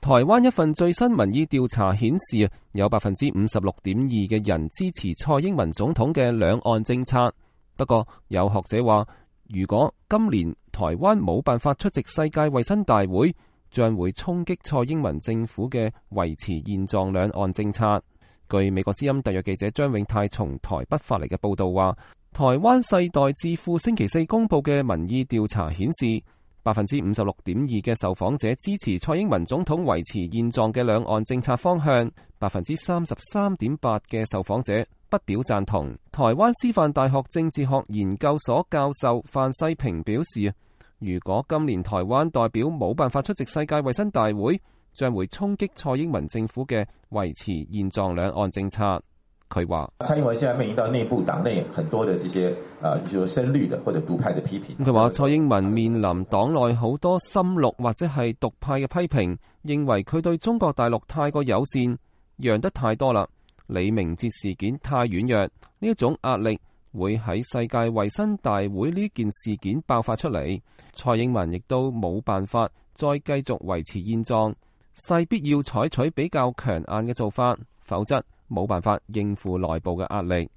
台灣一份最新民意調查顯示，有 56.2% 嘅人支持蔡英文總統嘅兩岸政策。不過，有學者話，如果今年台灣冇辦法出席世界衛生大會，將會衝擊蔡英文政府嘅維持現狀兩岸政策。據美國之音特約記者張永泰從台北發嚟嘅報道話，台灣世代智庫星期四公布嘅民意調查顯示，56.2% 嘅受訪者支持蔡英文總統維持現狀嘅兩岸政策方向，33.8% 嘅受訪者不表贊同。台灣師範大學政治學研究所教授范世平表示，如果今年台灣代表冇辦法出席世界衛生大會，將會衝擊蔡英文政府嘅維持現狀兩岸政策。佢話：蔡英文現在面臨到內部黨內很多的這些譬如深綠的或者獨派的批評。佢話蔡英文面臨黨內好多深綠或者係獨派嘅批評，認為佢對中國大陸太過友善，讓得太多啦。李明哲事件太軟弱，呢一種壓力會喺世界衛生大會呢件事件爆發出嚟。蔡英文亦都冇辦法再繼續維持現狀，勢必要採取比較強硬嘅做法，否則冇辦法應付內部嘅壓力。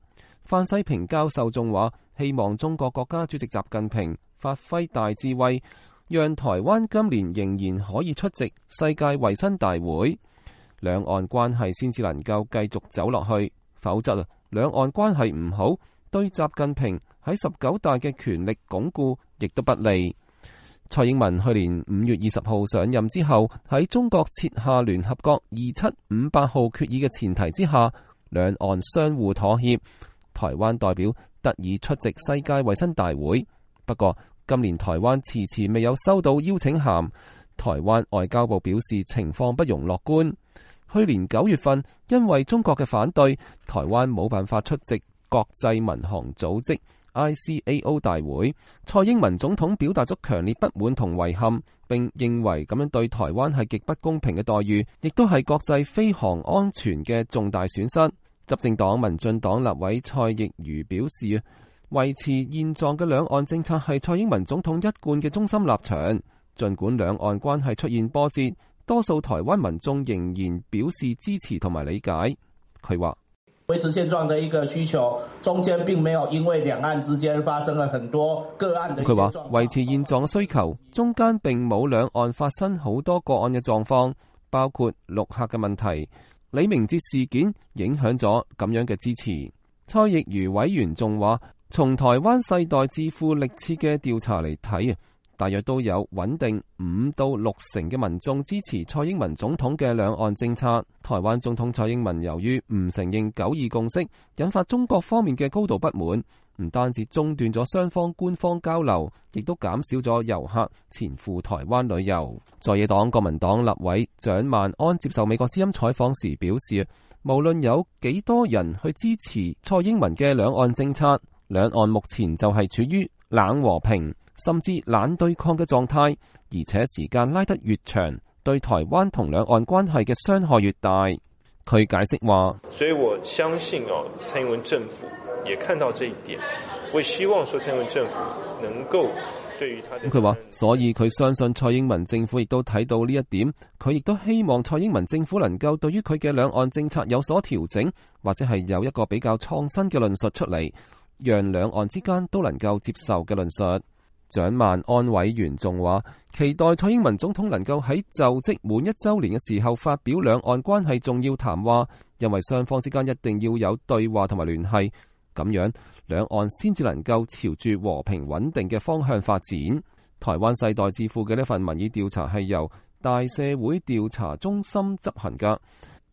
范世平教授仲話，希望中國國家主席習近平發揮大智慧，讓台灣今年仍然可以出席世界衛生大會，兩岸關係先至能夠繼續走落去，否則兩岸關係唔好，對習近平喺19大嘅權力鞏固亦都不利。蔡英文去年5月20號上任之後，喺中國設下聯合國2758號決議嘅前提之下，兩岸相互妥協，台灣代表得以出席世界衛生大會。不過今年台灣遲遲未有收到邀請函，台灣外交部表示情況不容樂觀。去年9月份，因為中國嘅反對，台灣冇辦法出席國際民航組織ICAO 大會，蔡英文總統表達咗強烈不滿同遺憾，並認為咁樣對台灣係極不公平嘅待遇，亦都係國際飛航安全嘅重大損失。執政黨民進黨立委蔡亦瑜表示，維持現狀嘅兩岸政策係蔡英文總統一貫嘅中心立場。儘管兩岸關係出現波折，多數台灣民眾仍然表示支持同埋理解。佢話：維持現狀的一個需求，中間並沒有因為兩岸之間發生了很多個案的。佢話維持現狀嘅需求，中間並冇兩岸發生好多個案嘅狀況，包括陸客嘅問題。李明哲事件影響咗咁樣嘅支持。蔡亦瑜委員仲話，從台灣世代智庫歷次嘅調查嚟睇，大約都有穩定5到6成嘅民眾支持蔡英文總統嘅兩岸政策。台灣總統蔡英文由於唔承認9·2共識，引發中國方面嘅高度不滿，唔單止中斷咗雙方官方交流，亦都減少咗遊客前赴台灣旅遊。在野黨國民黨立委蔣萬安接受美國之音採訪時表示，無論有幾多人去支持蔡英文嘅兩岸政策，兩岸目前就係處於冷和平甚至冷對抗嘅狀態，而且時間拉得越長，對台灣同兩岸關係嘅傷害越大。佢解釋話：所以我相信蔡英文政府也看到這一點，我希望說蔡英文政府能夠對於他。佢話，所以佢相信蔡英文政府亦都睇到呢一點，佢亦都希望蔡英文政府能夠對於佢嘅兩岸政策有所調整，或者係有一個比較創新嘅論述出嚟，讓兩岸之間都能夠接受嘅論述。蔣萬安委員仲話，期待蔡英文總統能夠喺就職滿1週年嘅時候發表兩岸關係重要談話，因為雙方之間一定要有對話同埋聯繫，咁樣兩岸先至能夠朝住和平穩定嘅方向發展。台灣世代智庫嘅呢份民意調查係由大社會調查中心執行㗎。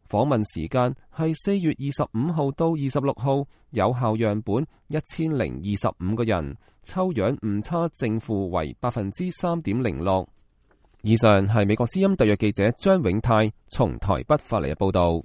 訪問時間係4月25號到26號，有效樣本1025個人，抽樣誤差正負為 3.06%。以上係美國之音特約記者張永泰從台北發嚟嘅報道。